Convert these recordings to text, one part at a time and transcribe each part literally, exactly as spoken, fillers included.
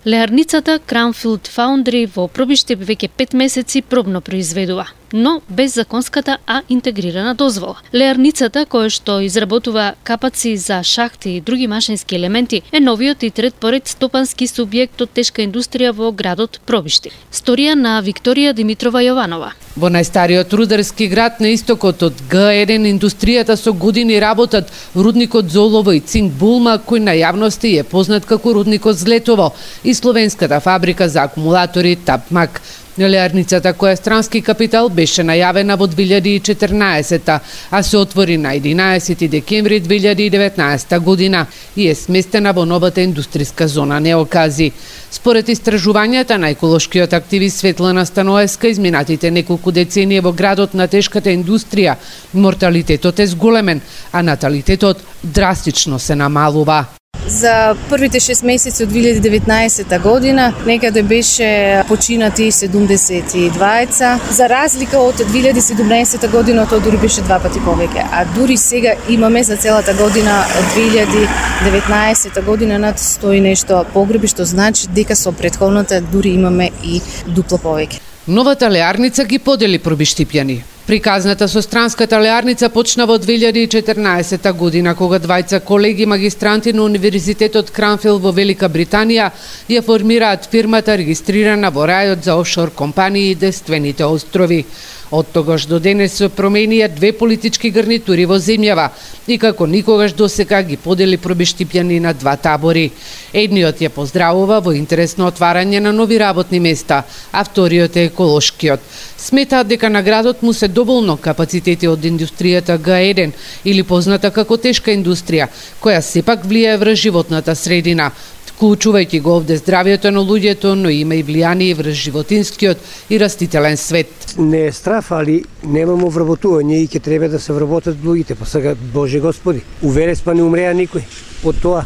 Леарницата Crownfield Foundry во Пробиштип веќе пет месеци пробно произведува, но без законската а интегрирана дозвола. Леарницата, која што изработува капаци за шахти и други машински елементи, е новиот и трет поред стопански субјект од тешка индустрија во градот Пробиштип. Сторија на Викторија Димитрова Јованова. Во најстариот рударски град на истокот од Г еден индустријата со години работат рудникот Золово и цинк Булма, кој на јавности е познат како рудникот Злетово, и словенската фабрика за акумулатори Тапмак. Леарницата, која е странски капитал, беше најавена во две илјади и четрнаесета, а се отвори на единаесети декември две илјади и деветнаесета година и е сместена во новата индустријска зона Неокази. Според истражувањата на еколошкиот активист Светлана Станоевска, изминатите неколку децении во градот на тешката индустрија, морталитетот е зголемен, а наталитетот драстично се намалува. За првите шест месеци од две илјади и деветнаесета година некаде беше починати седумдесет и дваеца, за разлика од две илјади и седумнаесета година тоа дури беше два пати повеќе, а дури сега имаме за целата година две илјади и деветнаесета година над сто и нешто погреби, што значи дека со претходната дури имаме и дупло повеќе. Новата леарница ги подели пробиштипјани. Приказната со странската леарница почна во две илјади и четрнаесета година, кога двајца колеги магистранти на Универзитетот Кранфил во Велика Британија ја формираат фирмата регистрирана во рајот за офшор компании и Девствените острови. Од тогаш до денес се променија две политички гарнитури во земјава и како никогаш досега ги подели пробиштипјани на два табори. Едниот ја поздравува во интерес на отварање на нови работни места, а вториот е еколошкиот. Сметаат дека на градот му се доволно капацитети од индустријата Г еден, или позната како тешка индустрија, која сепак влијае врз животната средина, вклучувајќи го овде здравјето на луѓето, но има и влијание врз животинскиот и растителен свет. Не е страф, али немамо вработување и ќе треба да се вработат луѓите, па сега Боже Господи, у Верес па не умреа никој од тоа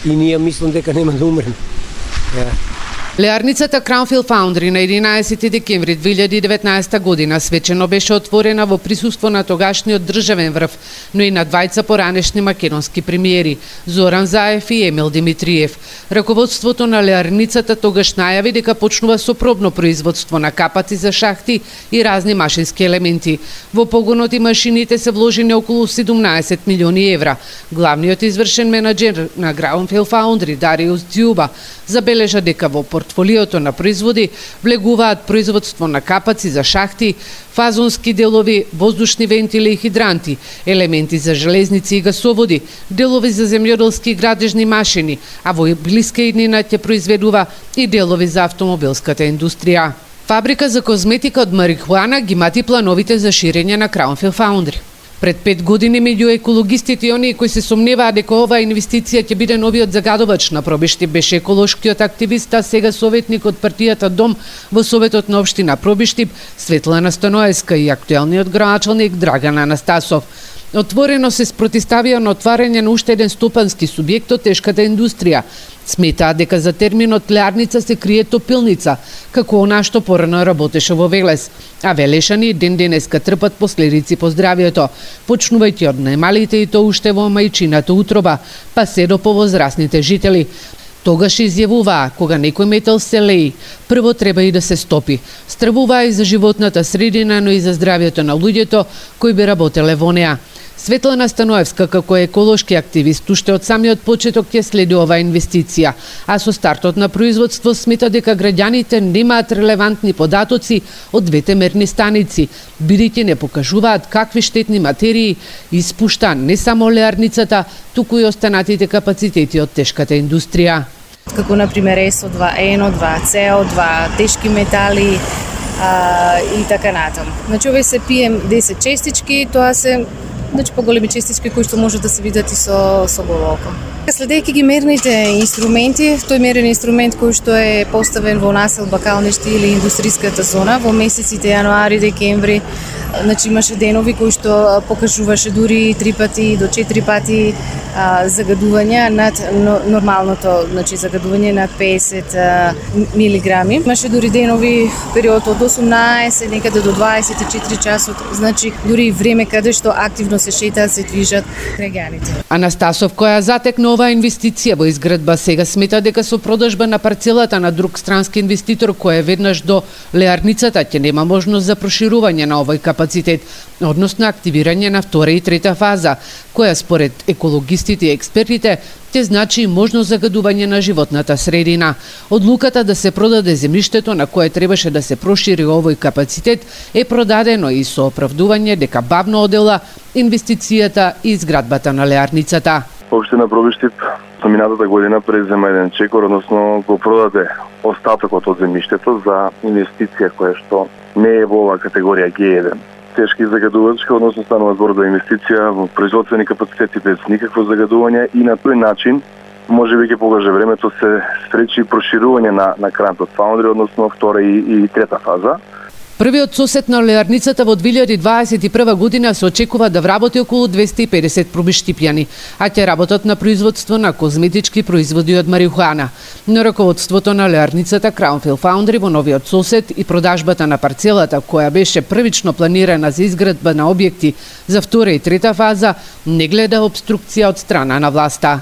и ние мислам дека нема да умреме. Yeah. Леарницата Crownfield Foundry на единаесети декември две илјади и деветнаесета година свечено беше отворена во присуство на тогашниот државен врв, но и на двајца поранешни македонски премиери, Зоран Заев и Емил Димитриев. Раководството на леарницата тогаш најави дека почнува со пробно производство на капаци за шахти и разни машински елементи. Во погонот и машините се вложени околу седумнаесет милиони евра. Главниот извршен менаџер на Crownfield Foundry, Дариус Дзјуба, забележа дека во портфолиото на производи влегуваат производство на капаци за шахти, фазонски делови, воздушни вентили и хидранти, елементи за железници и гасоводи, делови за земјоделски и градежни машини, а во блиска иднина ќе произведува и делови за автомобилската индустрија. Фабрика за козметика од марихуана ги мати плановите за ширење на Crownfield Foundry. Пред пет години меѓу екологистите и оние кои се сомневаа дека оваа инвестиција ќе биде новиот загадувач на Пробиштип беше еколошкиот активист, а сега советник од партијата Дом во Советот на општина Пробиштип, Светлана Станоевска и актуелниот градоначалник Драган Анастасов. Отворено се спротивставија на отварање на уште еден стопански субјект од тешката индустрија. Сметаат дека за терминот леарница се крие топилница, како она што порано работеше во Велес, а велешани ден денеска трпат последици по здравјето, почнувајќи од најмалите и то уште во мајчината утроба, па се до повозрасните жители. Тогаш изјавуваа, кога некој метал се леи, прво треба и да се стопи. Стравуваа и за животната средина, но и за здравјето на луѓето кои би работеле во неа. Светлана Станоевска, како еколошки активист, уште од самиот почеток ќе следи оваа инвестиција, а со стартот на производство смета дека граѓаните немаат релевантни податоци од двете мерни станици, бидејќи не покажуваат какви штетни материи испушта не само леарницата, туку и останатите капацитети од тешката индустрија. Како например Ес О два, Ен О два, Це О два, тешки метали а, и така натаму. Значи овие се Пи Ем десет честички, тоа се значи поголеми честички кои што можат да се видат и со со голо око. Следејќи ги мерните инструменти, тој мерен инструмент кој што е поставен во населба Калништи или индустријската зона во месеците јануари, декември Значи имаше денови кои што покажуваше дури три пати до четири пати а, загадување над но, нормалното, значи загадување над песет а, милиграми. Имаше дури денови период од осумнаесет некаде до дваесет и четири часот, значи дури време каде што активно се шетаат, се движат граѓаните. Анастасов, која затекна оваа инвестиција во изградба, сега смета дека со продажба на парцелата на друг странски инвеститор кој е веднаш до леарницата ќе нема можност за проширување на овој капацитет, односно активирање на втора и трета фаза, која според екологистите и експертите ќе значи можност загадување на животната средина. Одлуката да се продаде земјиштето на кое требаше да се прошири овој капацитет е продадено и со оправдување дека бавно одела инвестицијата и изградбата на леарницата. Општина Пробиштип со минатата година презема еден чекор, односно го продаде остатокот од земјиштето за инвестиција која што не е во оваа категорија Г еден. Тешки загадувачка, односно станува збор за инвестиција во производствени капацитети без никакво загадување и на тој начин можеби ќе покаже времето се стречи проширување на на Crownfield Foundry, односно втора и, и трета фаза. Првиот сосет на леарницата во две илјади дваесет и прва година се очекува да вработи околу двесте и педесет пробиштипјани, а ќе работат на производство на козметички производи од марихуана. На раководството на леарницата Crownfield Foundry во новиот сосет и продажбата на парцелата, која беше првично планирана за изградба на објекти за втора и трета фаза, не гледа обструкција од страна на власта.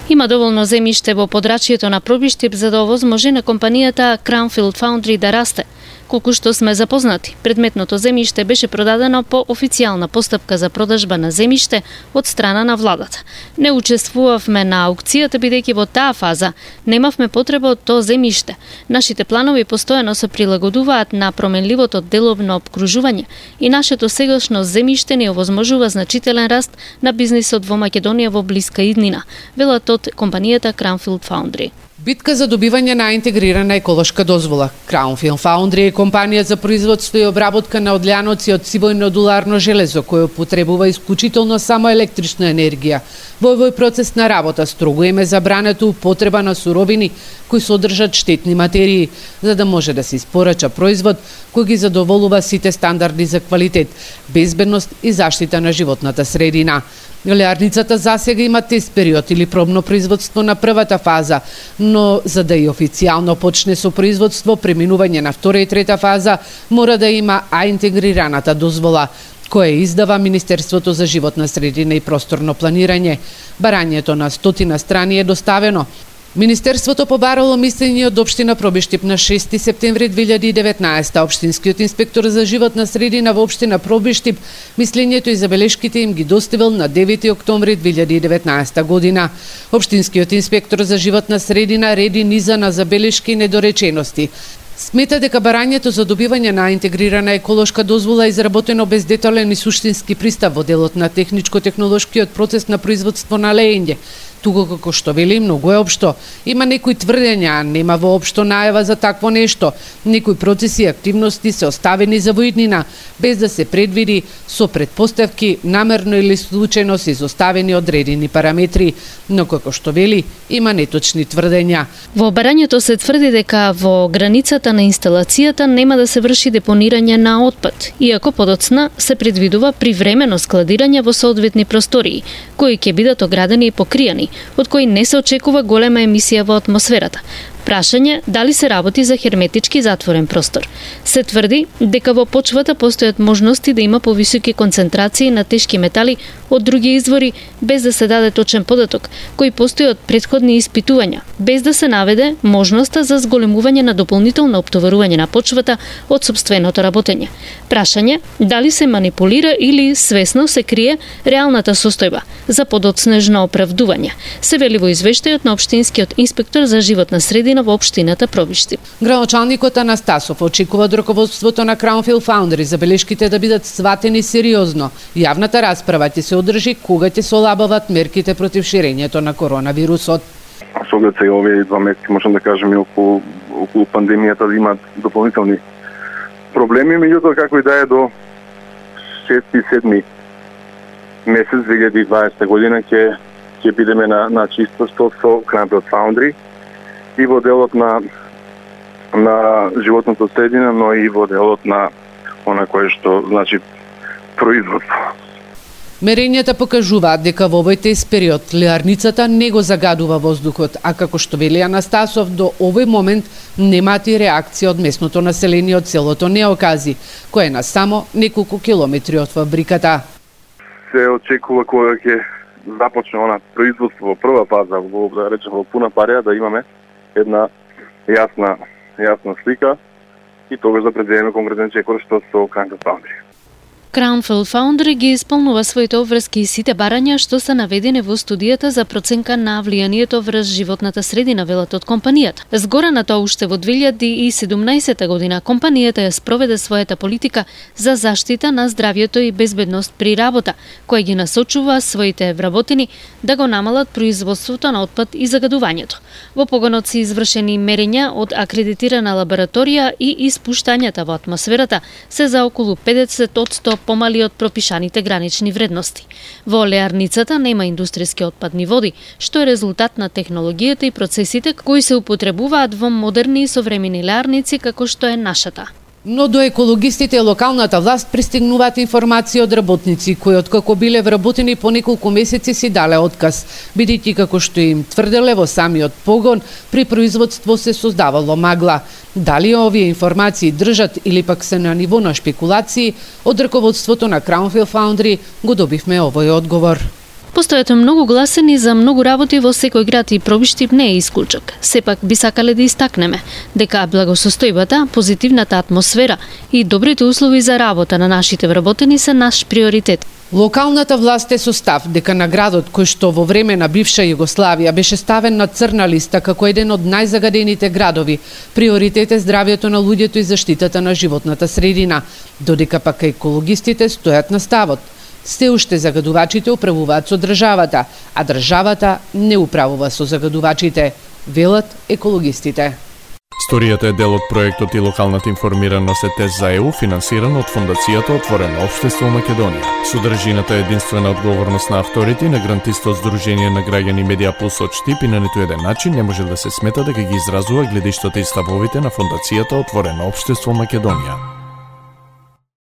Има доволно земјиште во подрачјето на Пробиштип за да овозможи на компанијата Crownfield Foundry да расте. Колку што сме запознати, предметното земјиште беше продадено по официјална постапка за продажба на земјиште од страна на владата. Не учествувавме на аукцијата бидејќи во таа фаза немавме потреба од тоа земјиште. Нашите планови постојано се прилагодуваат на променливото деловно обкружување и нашето сегашно земјиште ни овозможува значителен раст на бизнисот во Македонија во блиска иднина, велат од компанијата Crownfield Foundry. Битка за добивање на интегрирана еколошка дозвола. Crownfield Foundry е компанија за производство и обработка на одлјаноци од сивојнодуларно железо, кој употребува исклучително само електрична енергија. Во овој процес на работа строго им е забрането употреба на суровини кои содржат штетни материи, за да може да се испорача производ кој ги задоволува сите стандарди за квалитет, безбедност и заштита на животната средина. Леарницата засега има тест период или пробно производство на првата фаза, но за да и официјално почне со производство, преминување на втора и трета фаза мора да има А интегрираната дозвола, која издава Министерството за животна средина и просторно планирање. Барањето на стотина страни е доставено. Министерството побарало мислење од општина Пробиштип на шести септември две илјади и деветнаесета. Општинскиот инспектор за животна средина во општина Пробиштип мислењето и забелешките им ги доставил на девети октомври две илјади и деветнаесета година. Општинскиот инспектор за животна средина реди низа на забелешки и недоречености. Смета дека барањето за добивање на интегрирана еколошка дозвола е изработено без детален и суштински пристап во делот на техничко-технолошкиот процес на производство на леење. Туку како што вели многу е општо. Има некои тврдења, нема воопшто најава за такво нешто. Некои процеси и активности се оставени за воиднина, без да се предвиди со предпоставки, намерно или случајно се изоставени одредени параметри. Но како што вели, има неточни тврдења. Во барањето се тврди дека во границата на инсталацијата нема да се врши депонирање на отпад, иако подоцна се предвидува привремено складирање во соодветни простории, кои ќе бидат оградени и покријани, од кои не се очекува голема емисија во атмосферата. Прашање дали се работи за херметички затворен простор. Се тврди дека во почвата постојат можности да има повисоки концентрации на тешки метали од други извори, без да се даде точен податок, кои постои од претходни испитувања, без да се наведе можноста за зголемување на дополнително оптоварување на почвата од сопственото работење. Прашање дали се манипулира или свесно се крие реалната состојба за подоцнежно оправдување, се вели во извештајот на општинскиот инспектор за животна средина во општината Пробиштип. Градоначалникот Анастасов очекува од раководството на Crownfield Foundry забелешките да бидат сватени сериозно. Јавната расправа ќе се одржи кога ќе се олабават мерките против ширењето на коронавирусот. Со оглед сега овие два месеци, можам да кажем, и околу, околу пандемијата да имаат дополнителни проблеми, меѓутоа како и да е до шести седми месец две илјади и дваесета година ќе ќе бидеме на на чисто со Crownfield Foundry и во делот на на животното средина, но и во делот на она кое што значи производство. Мерењата покажуваат дека во овој тест период леарницата не го загадува воздухот, а како што вели Анастасов, до овој момент немаат и реакција од местното население од селото Неокази, кое е на само неколку километри од фабриката. Се очекува кога ќе започне она производство во прва фаза, во да речем во пуна пареја, да имаме една јасна јасна слика и тогаш да предвидиме конкретен чекор што со Crown Foundry. Crown Foundry ги исполнува своите обврски и сите барања што се наведени во студијата за проценка на влијанието врз животната средина, велат од компанијата. Згора на тоа, уште во две илјади и седумнаесета година компанијата ја спроведе својата политика за заштита на здравјето и безбедност при работа, која ги насочува своите вработени да го намалат производството на отпад и загадувањето. Во погонот се извршени мерења од акредитирана лабораторија и испуштањата во атмосферата се за околу педесет одсто помали од пропишаните гранични вредности. Во леарницата нема индустријски отпадни води, што е резултат на технологијата и процесите кои се употребуваат во модерни и современи леарници како што е нашата. Но до екологистите и локалната власт пристигнуваат информации од работници кои откако биле вработени по неколку месеци си дале отказ, бидејќи како што им тврделе во самиот погон, при производство се создавало магла. Дали овие информации држат или пак се на ниво на шпекулации, од раководството на Crown Foundry го добивме овој одговор. Постојат многу гласини за многу работи во секој град и Пробиштип не е исклучок. Сепак би сакале да истакнеме дека благосостојбата, позитивната атмосфера и добрите услови за работа на нашите вработени се наш приоритет. Локалната власт е со став дека на градот кој што во време на бивша Југославија беше ставен на црна листа како еден од најзагадените градови, приоритет е здравјето на луѓето и заштитата на животната средина, додека пак екологистите стојат на ставот. Се уште загадувачите управуваат со државата, а државата не управува со загадувачите, велат екологистите. Сторијата е дел од проектот и локалната информираност е тест за ЕУ, финансиран од Фондацијата Отворено општество Македонија. Содржината е единствена одговорност на авторите и на грантистот Сдружение на граѓани Медија Плюс од Штип и на ниту еден начин не може да се смета дека ги изразува гледиштата и ставовите на Фондацијата Отворено општество Македонија.